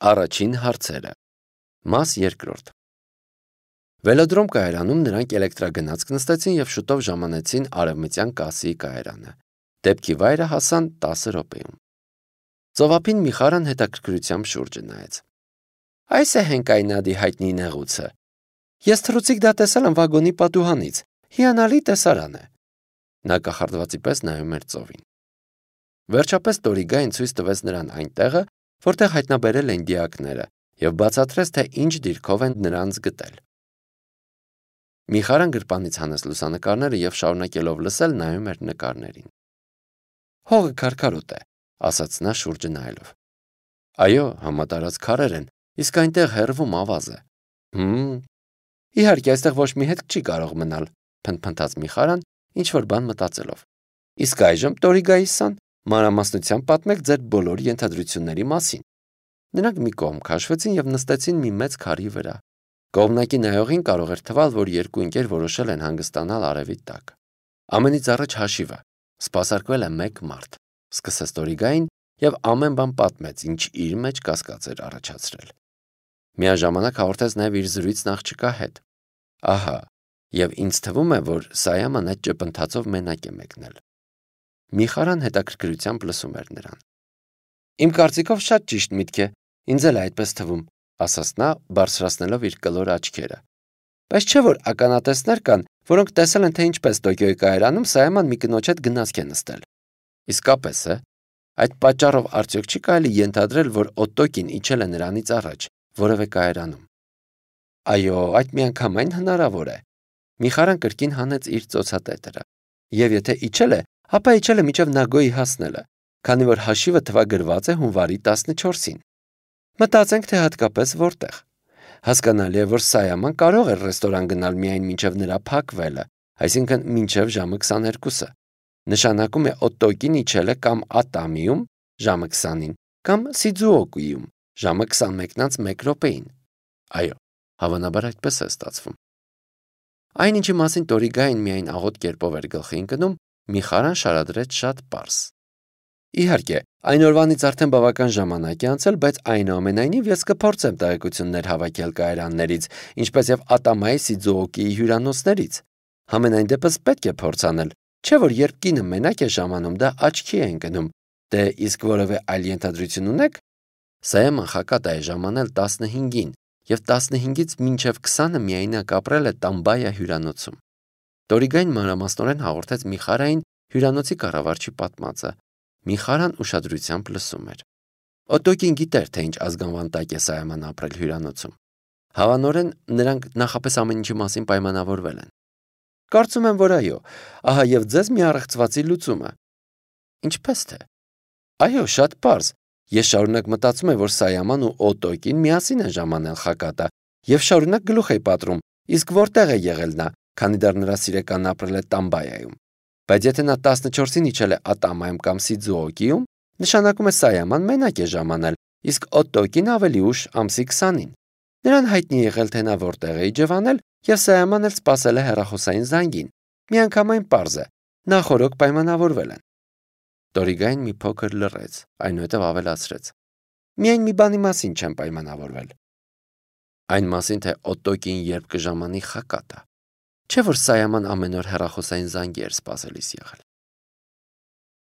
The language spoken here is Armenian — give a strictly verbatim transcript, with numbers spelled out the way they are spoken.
Առաջին հարցերը։ Մաս երկրորդ։ Վելոդրոմ կայարանում նրանք էլեկտրագնացք նստեցին և շուտով ժամանեցին Արևմտյան կասի կայարանը։ Դեպքի վայրը հասան տասը րոպեում։ Ծովափին Միխարան հետաքրքրությամբ շուրջը նայեց։ Այս է Հենկայնադի հայտնի նեղուցը։ Ես թռուցիկ դա տեսել եմ վագոնի պատուհանից։ Հիանալի տեսարան է։ Նա կախարդվածի պես նայում էր ծովին։ Վերջապես Տորիգային ցույց տվեց նրան այն տեղը, որտեղ հայտնաբերել են դիակները, և բացատրեց, թե ինչ դիրքով են նրանց գտել։ Միխարան գրպանից հանեց լուսանկարները և շարունակելով լսել նայում էր նկարներին։ Հողը քարքարոտ է, ասաց նա շուրջը նայելով։ Այո, համատարած քարեր են, իսկ այնտեղ հեռվում ավազ է։ Հմ, իհարկե այստեղ ոչ մի հետք չի կարող մնալ, փնթփնթաց Միխարան, ինչ-որ բան մտածելով։ Իսկ այժմ Տորիգայիսան մանրամասնությամբ պատմեք ձեր բոլոր ենթադրությունների մասին։ Նրանք մի կողմ քաշվեցին և նստեցին մի մեծ քարի վրա։ Կողմնակի նայողին կարող էր թվալ, որ երկու ընկեր որոշել են հանգստանալ արևի տակ։ Ամենից առաջ հաշիվը։ Սպասարկվել է մեկ մարդ, սկսեց Տորիգային և ամեն բան պատմեց, ինչ իր մեջ կասկած էր առաջացրել։ Միաժամանակ հաղորդեց նաև իր զրույցն աղջկա հետ։ Ահա, և ինձ թվում է, որ Սայաման այդ ճպընթացով մենակ է մեկնել։ Միխարան հետաքրքրությամբ լսում էր նրան։ Իմ կարծիքով շատ ճիշտ միտք է, ինձ էլ է այդպես թվում, ասաց նա, բարձրացնելով իր կլոր աչքերը։ Բայց չէ՞ որ ականատեսներ կան, որոնք տեսել են, թե ինչպես Տոկիոյի կայարանում Սայաման մի կնոջ հետ գնացք է նստել։ Իսկապես է։ Այդ պատճառով արդյոք չի կարելի ենթադրել, որ Օտոկին իջել է նրանից առաջ, որևէ կայարանում։ Այո, այդ միանգամայն հնարավոր է։ Միխարան կրկին հանեց իր ծոցատետրը։ Եվ եթե իջել է, ապա իջել է մինչև Նագոյի հասնելը, քանի որ հաշիվը թվագրված է հունվարի տասնչորսին։ Մտածենք, թե հատկապես որտեղ։ Հասկանալի է, որ Սայաման կարող էր ռեստորան գնալ միայն մինչև նրա փակվելը, այսինքն մինչև ժամը քսաներկուսը։ Նշանակում է Օտոկին իջել է կամ Ատամիում ժամը քսանին, կամ Սիձուոկուիում ժամը քսանմեկն անց մեկ րոպեին։ Այո, հավանաբար այդպես է ստացվում։ Այն ինչի մասին Տորիգային միայն աղոտ կերպով էր գլխի ընկնում, Միխարան շարադրեց շատ պարզ։ Իհարկե, այն օրվանից արդեն բավական ժամանակ է անցել, բայց այնուամենայնիվ ես կփորձեմ տեղեկություններ հավաքել կայարաններից, ինչպես եւ Ատամայի Սիձուոկիի հյուրանոցներից։ Համենայն դեպս պետք է փորձ անել, չէ՞ որ երբ կինը մենակ է ժամանում, դա աչքի է ընկնում։ Դե իսկ որևէ այլ ենթադրություն ունեք։ Սայաման Խակատա է ժամանել տասնհինգին, եւ տասնհինգից մինչև քսանը միայնակ ապրել է Տամբայա հյուրանոցում։ Տորիգային մանրամասնորեն հաղորդեց Միխարային հյուրանոցի կառավարչի պատմածը։ Միխարան ուշադրությամբ լսում էր։ Օտոկին գիտեր, թե ինչ ազգանվան տակ է Սայաման ապրել հյուրանոցում։ Հավանորեն նրանք նախապես ամեն ինչի մասին պայմանավորվել են։ Կարծում եմ, որ այո, ահա եւ ձեզ մի առեղծվածի լուծումը։ Ինչպես թե։ Այո, շատ պարզ։ Ես շարունակ մտածում եմ, որ Սայաման ու Օտոկին միասին են ժամանել Խակատա եւ շարունակ գլուխ է պատռում, իսկ որտեղ է եղել նա, քանի դեռ նրա սիրեկանն ապրել է Տամբայայում։ Բայց եթե նա տասնչորսին իջել է Ատամայում կամ Սիձուոկիում, նշանակում է Սայաման մենակ է ժամանել, իսկ Օտոկին ավելի ուշ ամսի քսանին։ Նրան հայտնի է եղել, թե նա որտեղ է իջևանել, եւ Սայամանն էլ սպասել է հեռախոսային զանգին։ Միանգամայն պարզ է, նախօրոք պայմանավորվել են։ Տորիգային մի փոքր լռեց, այնուհետև ավելացրեց. Միայն մի բանի մասին չեմ պայմանավորվել։ Այն մասին, թե Օտոկին երբ կժամանի Խակատա։ Չէ՞ որ Սայաման ամեն օր հեռախոսային զանգի էր սպասելիս եղել։